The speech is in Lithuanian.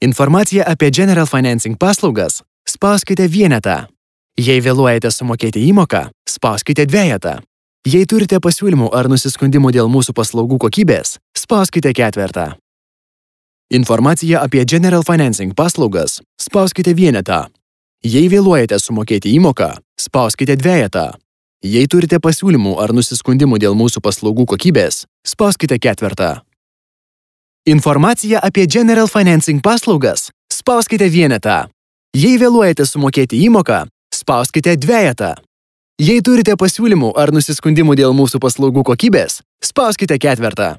Informacija apie General Financing paslaugas spauskite vienetą. Jei vėluojate sumokėti įmoką, spauskite dvejetą. Jei turite pasiūlymų ar nusiskundimų dėl mūsų paslaugų kokybės, spauskite ketvertą. Informacija apie General Financing paslaugas spauskite vienetą. Jei vėluojate sumokėti įmoką, spauskite dvejetą. Jei turite pasiūlymų ar nusiskundimų dėl mūsų paslaugų kokybės, spauskite ketvertą. Informacija apie General Financing paslaugas spauskite vienetą. Jei vėluojate sumokėti įmoką, spauskite dvejetą. Jei turite pasiūlymų ar nusiskundimų dėl mūsų paslaugų kokybės, spauskite ketvertą.